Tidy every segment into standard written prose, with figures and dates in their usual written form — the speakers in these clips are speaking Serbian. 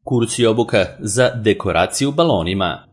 Kurs i obuka za dekoraciju balonima.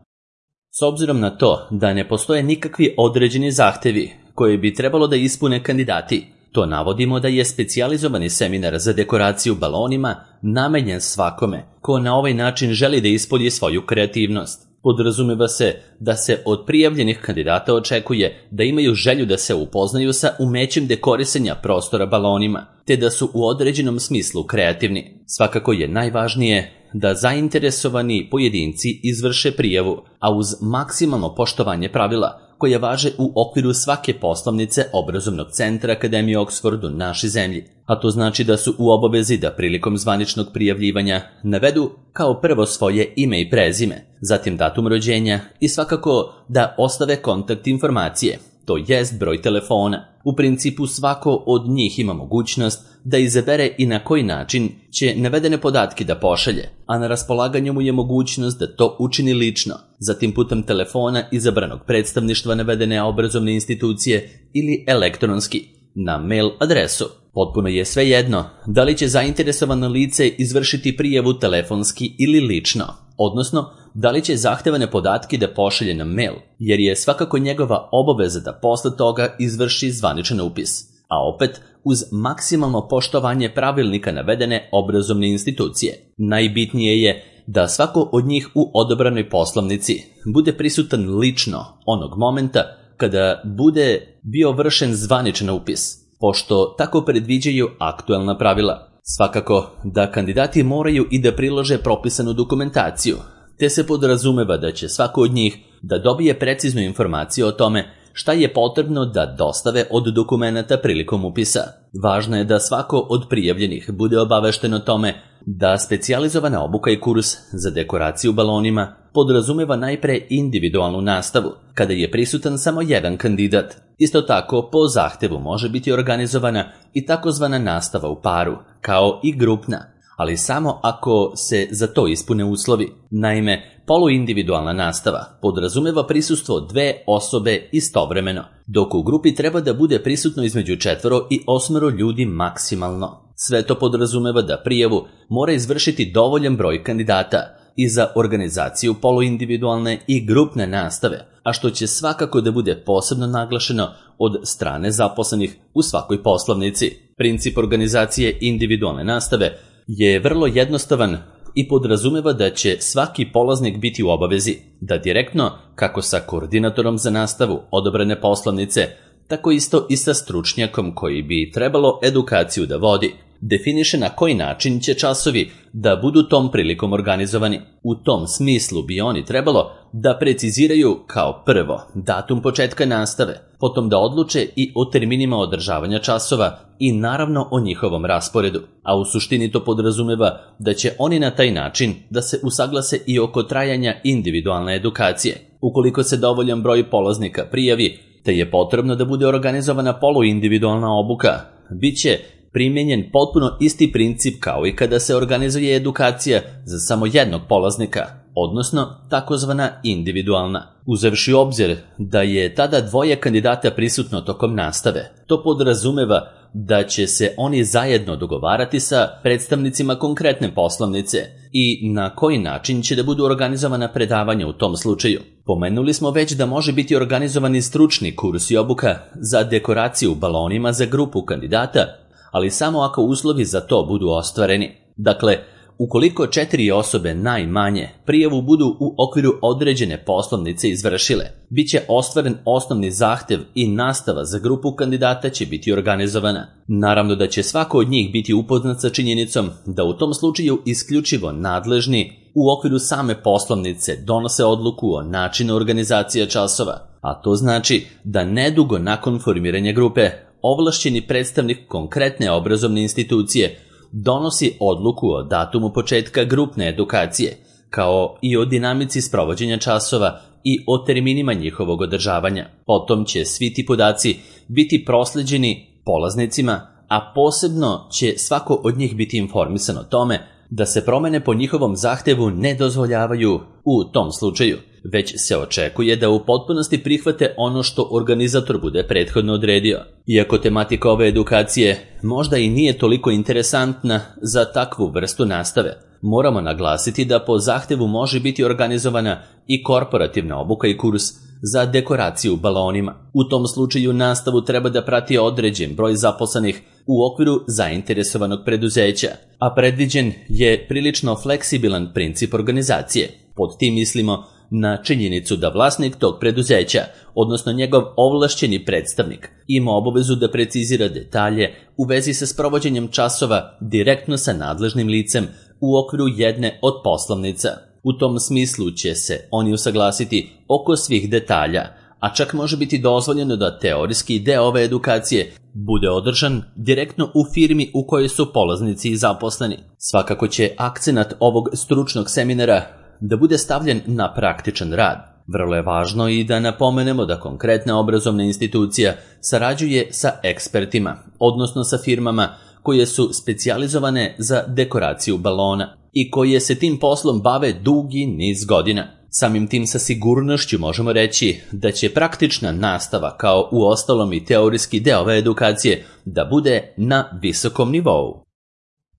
S obzirom na to da ne postoje nikakvi određeni zahtevi koje bi trebalo da ispune kandidati, to navodimo da je specijalizovani seminar za dekoraciju balonima namenjen svakome ko na ovaj način želi da ispolji svoju kreativnost. Podrazumeva se da se od prijavljenih kandidata očekuje da imaju želju da se upoznaju sa umećem dekorisanja prostora balonima, te da su u određenom smislu kreativni. Svakako je najvažnije da zainteresovani pojedinci izvrše prijavu, a uz maksimalno poštovanje pravila koje važe u okviru svake poslovnice obrazovnog centra Akademije Oxford u našoj zemlji. A to znači da su u obavezi da prilikom zvaničnog prijavljivanja navedu kao prvo svoje ime i prezime, zatim datum rođenja i svakako da ostave kontakt informacije, to jest broj telefona. U principu svako od njih ima mogućnost da izabere i na koji način će navedene podatke da pošalje, a na raspolaganju mu je mogućnost da to učini lično, zatim putem telefona izabranog predstavništva navedene obrazovne institucije ili elektronski, na mail adresu. Potpuno je svejedno da li će zainteresovano lice izvršiti prijavu telefonski ili lično, odnosno da li će zahtevane podatke da pošalje na mail, jer je svakako njegova obaveza da posle toga izvrši zvaničan upis, a opet uz maksimalno poštovanje pravilnika navedene obrazovne institucije. Najbitnije je da svako od njih u odobranoj poslovnici bude prisutan lično onog momenta kada bude bio vršen zvaničan upis, pošto tako predviđaju aktuelna pravila. Svakako da kandidati moraju i da prilože propisanu dokumentaciju, te se podrazumeva da će svako od njih da dobije preciznu informaciju o tome šta je potrebno da dostave od dokumenata prilikom upisa. Važno je da svako od prijavljenih bude obavešten o tome da specijalizovana obuka i kurs za dekoraciju balonima podrazumeva najpre individualnu nastavu, kada je prisutan samo jedan kandidat. Isto tako, po zahtevu može biti organizovana i takozvana nastava u paru, kao i grupna, ali samo ako se za to ispune uslovi. Naime, poluindividualna nastava podrazumeva prisustvo dve osobe istovremeno, dok u grupi treba da bude prisutno između 4 i 8 ljudi maksimalno. Sve to podrazumeva da prijavu mora izvršiti dovoljan broj kandidata i za organizaciju poluindividualne i grupne nastave, a što će svakako da bude posebno naglašeno od strane zaposlenih u svakoj poslovnici. Princip organizacije individualne nastave je vrlo jednostavan i podrazumeva da će svaki polaznik biti u obavezi da direktno, kako sa koordinatorom za nastavu odobrene poslovnice, tako isto i sa stručnjakom koji bi trebalo edukaciju da vodi, definiše na koji način će časovi da budu tom prilikom organizovani. U tom smislu bi oni trebalo da preciziraju kao prvo datum početka nastave, potom da odluče i o terminima održavanja časova i naravno o njihovom rasporedu, a u suštini to podrazumeva da će oni na taj način da se usaglase i oko trajanja individualne edukacije. Ukoliko se dovoljan broj polaznika prijavi, te je potrebno da bude organizovana poluindividualna obuka, bit će primjenjen potpuno isti princip kao i kada se organizuje edukacija za samo jednog polaznika, odnosno takozvana individualna. Uzevši u obzir da je tada dvoje kandidata prisutno tokom nastave, to podrazumeva da će se oni zajedno dogovarati sa predstavnicima konkretne poslovnice i na koji način će da budu organizovana predavanja u tom slučaju. Pomenuli smo već da može biti organizovani stručni kurs i obuka za dekoraciju balonima za grupu kandidata, ali samo ako uslovi za to budu ostvareni. Dakle, ukoliko 4 osobe najmanje prijavu budu u okviru određene poslovnice izvršile, bit će ostvaren osnovni zahtev i nastava za grupu kandidata će biti organizovana. Naravno da će svako od njih biti upoznat sa činjenicom da u tom slučaju isključivo nadležni u okviru same poslovnice donose odluku o načinu organizacije časova, a to znači da nedugo nakon formiranja grupe ovlašćeni predstavnik konkretne obrazovne institucije donosi odluku o datumu početka grupne edukacije, kao i o dinamici sprovođenja časova i o terminima njihovog održavanja. Potom će svi ti podaci biti prosleđeni polaznicima, a posebno će svako od njih biti informisan o tome da se promene po njihovom zahtevu ne dozvoljavaju u tom slučaju, već se očekuje da u potpunosti prihvate ono što organizator bude prethodno odredio. Iako tematika ove edukacije možda i nije toliko interesantna za takvu vrstu nastave, Moramo naglasiti da po zahtevu može biti organizovana i korporativna obuka i kurs za dekoraciju balonima. U tom slučaju nastavu treba da prati određen broj zaposlenih u okviru zainteresovanog preduzeća, a predviđen je prilično fleksibilan princip organizacije. Pod tim mislimo na činjenicu da vlasnik tog preduzeća, odnosno njegov ovlašćeni predstavnik, ima obavezu da precizira detalje u vezi sa sprovođenjem časova direktno sa nadležnim licem u okviru jedne od poslovnica. U tom smislu će se oni usaglasiti oko svih detalja, a čak može biti dozvoljeno da teorijski deo ove edukacije bude održan direktno u firmi u kojoj su polaznici i zaposleni. Svakako će akcenat ovog stručnog seminara da bude stavljen na praktičan rad. Vrlo je važno i da napomenemo da konkretna obrazovna institucija sarađuje sa ekspertima, odnosno sa firmama koje su specijalizovane za dekoraciju balona i koje se tim poslom bave dugi niz godina. Samim tim sa sigurnošću možemo reći da će praktična nastava, kao u ostalom i teorijski deo ove edukacije, da bude na visokom nivou.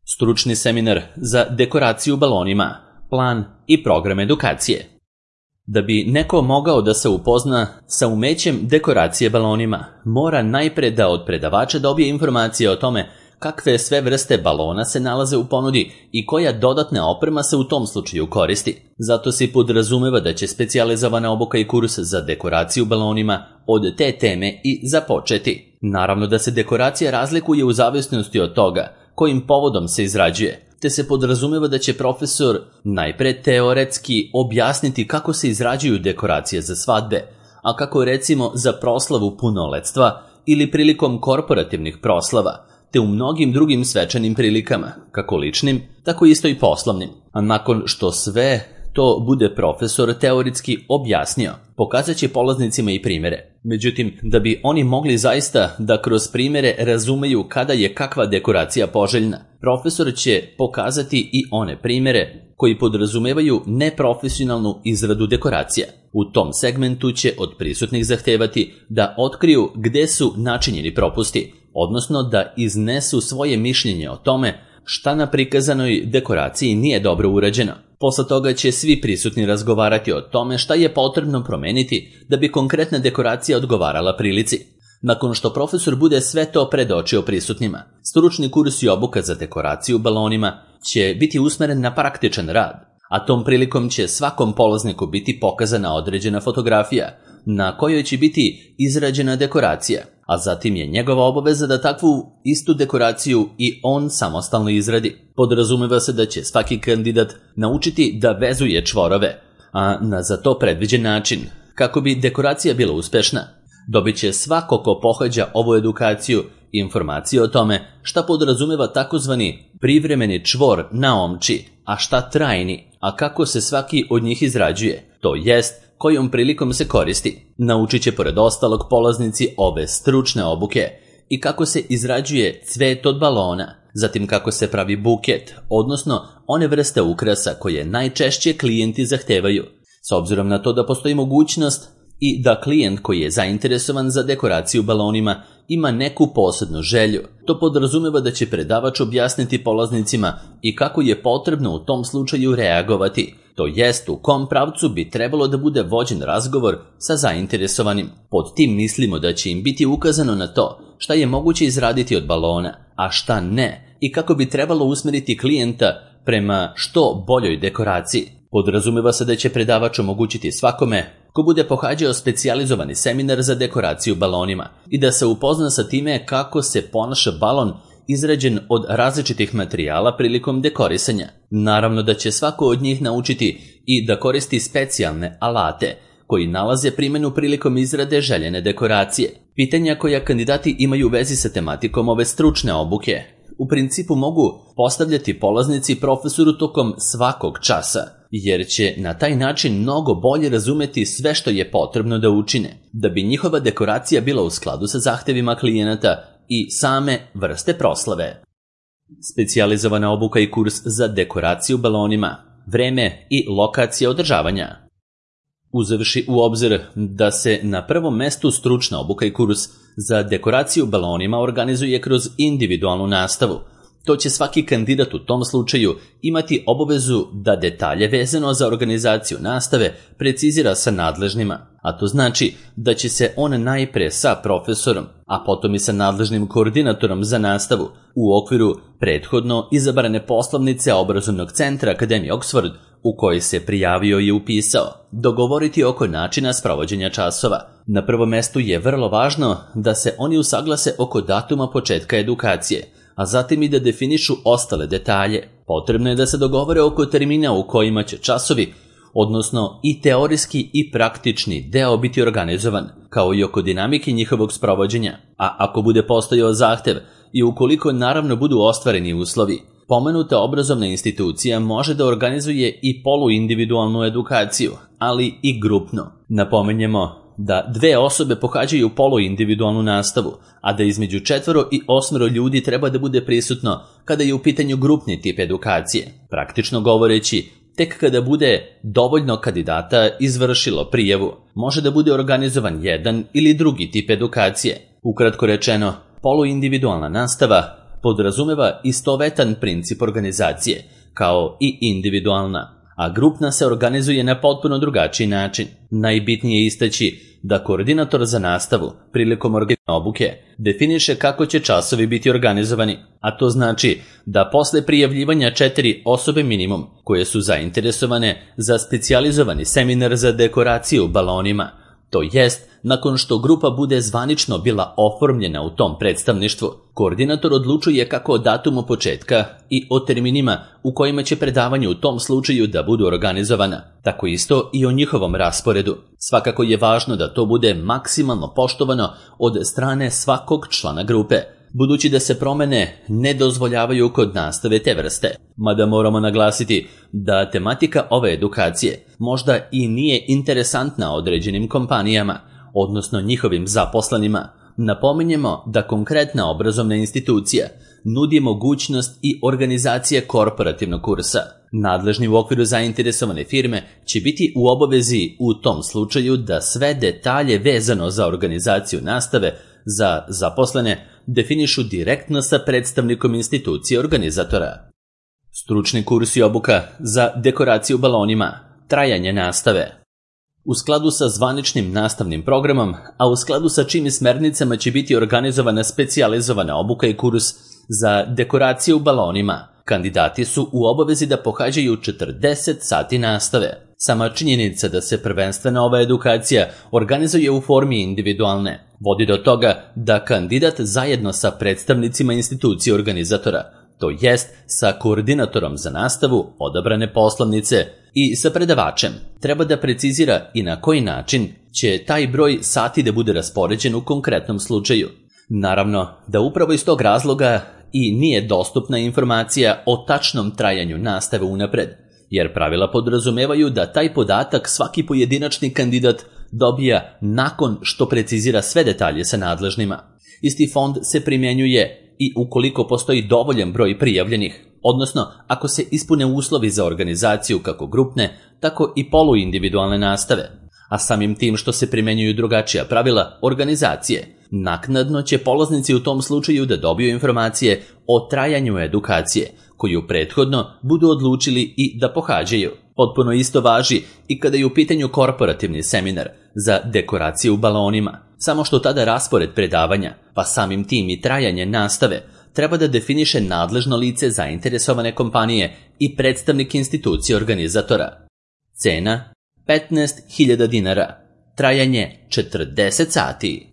Stručni seminar za dekoraciju balonima, plan i program edukacije. Da bi neko mogao da se upozna sa umećem dekoracije balonima, mora najpre da od predavača dobije informacije o tome kakve sve vrste balona se nalaze u ponudi i koja dodatna oprema se u tom slučaju koristi. Zato se podrazumeva da će specijalizovana obuka i kurs za dekoraciju balonima od te teme i započeti. Naravno da se dekoracija razlikuje u zavisnosti od toga kojim povodom se izrađuje, te se podrazumeva da će profesor najpre teoretski objasniti kako se izrađuju dekoracije za svadbe, a kako recimo za proslavu punoletstva ili prilikom korporativnih proslava, te u mnogim drugim svečanim prilikama, kako ličnim, tako isto i poslovnim. A nakon što sve to bude profesor teoretski objasnio, pokazat će polaznicima i primere. Međutim, da bi oni mogli zaista da kroz primere razumeju kada je kakva dekoracija poželjna, profesor će pokazati i one primere koji podrazumevaju neprofesionalnu izradu dekoracija. U tom segmentu će od prisutnih zahtevati da otkriju gde su načinjeni propusti, odnosno da iznesu svoje mišljenje o tome šta na prikazanoj dekoraciji nije dobro urađeno. Posle toga će svi prisutni razgovarati o tome šta je potrebno promeniti da bi konkretna dekoracija odgovarala prilici. Nakon što profesor bude sve to predočio prisutnima, stručni kurs i obuka za dekoraciju balonima će biti usmeren na praktičan rad, a tom prilikom će svakom polazniku biti pokazana određena fotografija na kojoj će biti izrađena dekoracija, a zatim je njegova obaveza da takvu istu dekoraciju i on samostalno izradi. Podrazumeva se da će svaki kandidat naučiti da vezuje čvorove, a na za to predviđen način. Kako bi dekoracija bila uspešna, dobit će svako ko pohađa ovu edukaciju informacije o tome šta podrazumeva takozvani privremeni čvor na omči, a šta trajni, a kako se svaki od njih izrađuje, to jest kojom prilikom se koristi. Naučit će pored ostalog polaznici ove stručne obuke i kako se izrađuje cvet od balona, zatim kako se pravi buket, odnosno one vrste ukrasa koje najčešće klijenti zahtevaju. S obzirom na to da postoji mogućnost i da klijent koji je zainteresovan za dekoraciju balonima ima neku posebnu želju, to podrazumeva da će predavač objasniti polaznicima i kako je potrebno u tom slučaju reagovati, to jest u kom pravcu bi trebalo da bude vođen razgovor sa zainteresovanim. Pod tim mislimo da će im biti ukazano na to šta je moguće izraditi od balona, a šta ne, i kako bi trebalo usmeriti klijenta prema što boljoj dekoraciji. Podrazumeva se da će predavač omogućiti svakome ko bude pohađao specijalizovani seminar za dekoraciju balonima i da se upozna sa time kako se ponaša balon izrađen od različitih materijala prilikom dekorisanja. Naravno da će svako od njih naučiti i da koristi specijalne alate koji nalaze primjenu prilikom izrade željene dekoracije. Pitanja koja kandidati imaju u vezi sa tematikom ove stručne obuke u principu mogu postavljati polaznici profesoru tokom svakog časa, jer će na taj način mnogo bolje razumeti sve što je potrebno da učine, da bi njihova dekoracija bila u skladu sa zahtevima klijenata i same vrste proslave. Specijalizovana obuka i kurs za dekoraciju balonima, vreme i lokacija održavanja. Uzevši u obzir da se na prvom mestu stručna obuka i kurs za dekoraciju balonima organizuje kroz individualnu nastavu, to će svaki kandidat u tom slučaju imati obavezu da detalje vezano za organizaciju nastave precizira sa nadležnima, a to znači da će se on najpre sa profesorom, a potom i sa nadležnim koordinatorom za nastavu u okviru prethodno izabrane poslovnice obrazovnog centra Akademije Oxford u kojoj se prijavio i upisao, dogovoriti oko načina sprovođenja časova. Na prvom mestu je vrlo važno da se oni usaglase oko datuma početka edukacije, a zatim i da definišu ostale detalje. Potrebno je da se dogovore oko termina u kojima će časovi, odnosno i teorijski i praktični deo biti organizovan, kao i oko dinamike njihovog sprovođenja. A ako bude postojao zahtev i ukoliko naravno budu ostvareni uslovi, pomenuta obrazovna institucija može da organizuje i poluindividualnu edukaciju, ali i grupno. Napomenjemo da 2 osobe pohađaju poluindividualnu nastavu, a da između 4 i 8 ljudi treba da bude prisutno kada je u pitanju grupni tip edukacije. Praktično govoreći, tek kada bude dovoljno kandidata izvršilo prijavu, može da bude organizovan jedan ili drugi tip edukacije. Ukratko rečeno, poluindividualna nastava podrazumeva istovetan princip organizacije, kao i individualna, a grupna se organizuje na potpuno drugačiji način. Najbitnije je istaći da koordinator za nastavu prilikom obuke definiše kako će časovi biti organizovani, a to znači da posle prijavljivanja 4 osobe minimum koje su zainteresovane za specijalizovani seminar za dekoraciju balonima, to jest nakon što grupa bude zvanično bila oformljena u tom predstavništvu, koordinator odlučuje kako o datumu početka i o terminima u kojima će predavanje u tom slučaju da budu organizovana, tako isto i o njihovom rasporedu. Svakako je važno da to bude maksimalno poštovano od strane svakog člana grupe, budući da se promene ne dozvoljavaju kod nastave te vrste. Mada moramo naglasiti da tematika ove edukacije možda i nije interesantna određenim kompanijama, odnosno njihovim zaposlenima. Napominjemo da konkretna obrazovna institucija nudi mogućnost i organizacije korporativnog kursa. Nadležni u okviru zainteresovane firme će biti u obavezi u tom slučaju da sve detalje vezano za organizaciju nastave za zaposlene definišu direktno sa predstavnikom institucije organizatora. Stručni kurs i obuka za dekoraciju balonima, trajanje nastave. U skladu sa zvaničnim nastavnim programom, a u skladu sa čim smernicama će biti organizovana specijalizovana obuka i kurs za dekoraciju balonima, kandidati su u obavezi da pohađaju 40 sati nastave. Sama činjenica da se prvenstveno ova edukacija organizuje u formi individualne vodi do toga da kandidat zajedno sa predstavnicima institucije organizatora, to jest sa koordinatorom za nastavu, odabrane poslovnice i sa predavačem, treba da precizira i na koji način će taj broj sati da bude raspoređen u konkretnom slučaju. Naravno da upravo iz tog razloga i nije dostupna informacija o tačnom trajanju nastave unapred, jer pravila podrazumevaju da taj podatak svaki pojedinačni kandidat dobija nakon što precizira sve detalje sa nadležnima. Isti fond se primjenjuje i ukoliko postoji dovoljan broj prijavljenih, odnosno ako se ispune uslovi za organizaciju kako grupne, tako i poluindividualne nastave. A samim tim što se primjenjuju drugačija pravila organizacije, naknadno će polaznici u tom slučaju da dobiju informacije o trajanju edukacije, koju prethodno budu odlučili i da pohađaju. Potpuno isto važi i kada je u pitanju korporativni seminar za dekoraciju balonima, samo što tada raspored predavanja, pa samim tim i trajanje nastave, treba da definiše nadležno lice zainteresovane kompanije i predstavnik institucije organizatora. Cena 15.000 dinara, trajanje 40 sati.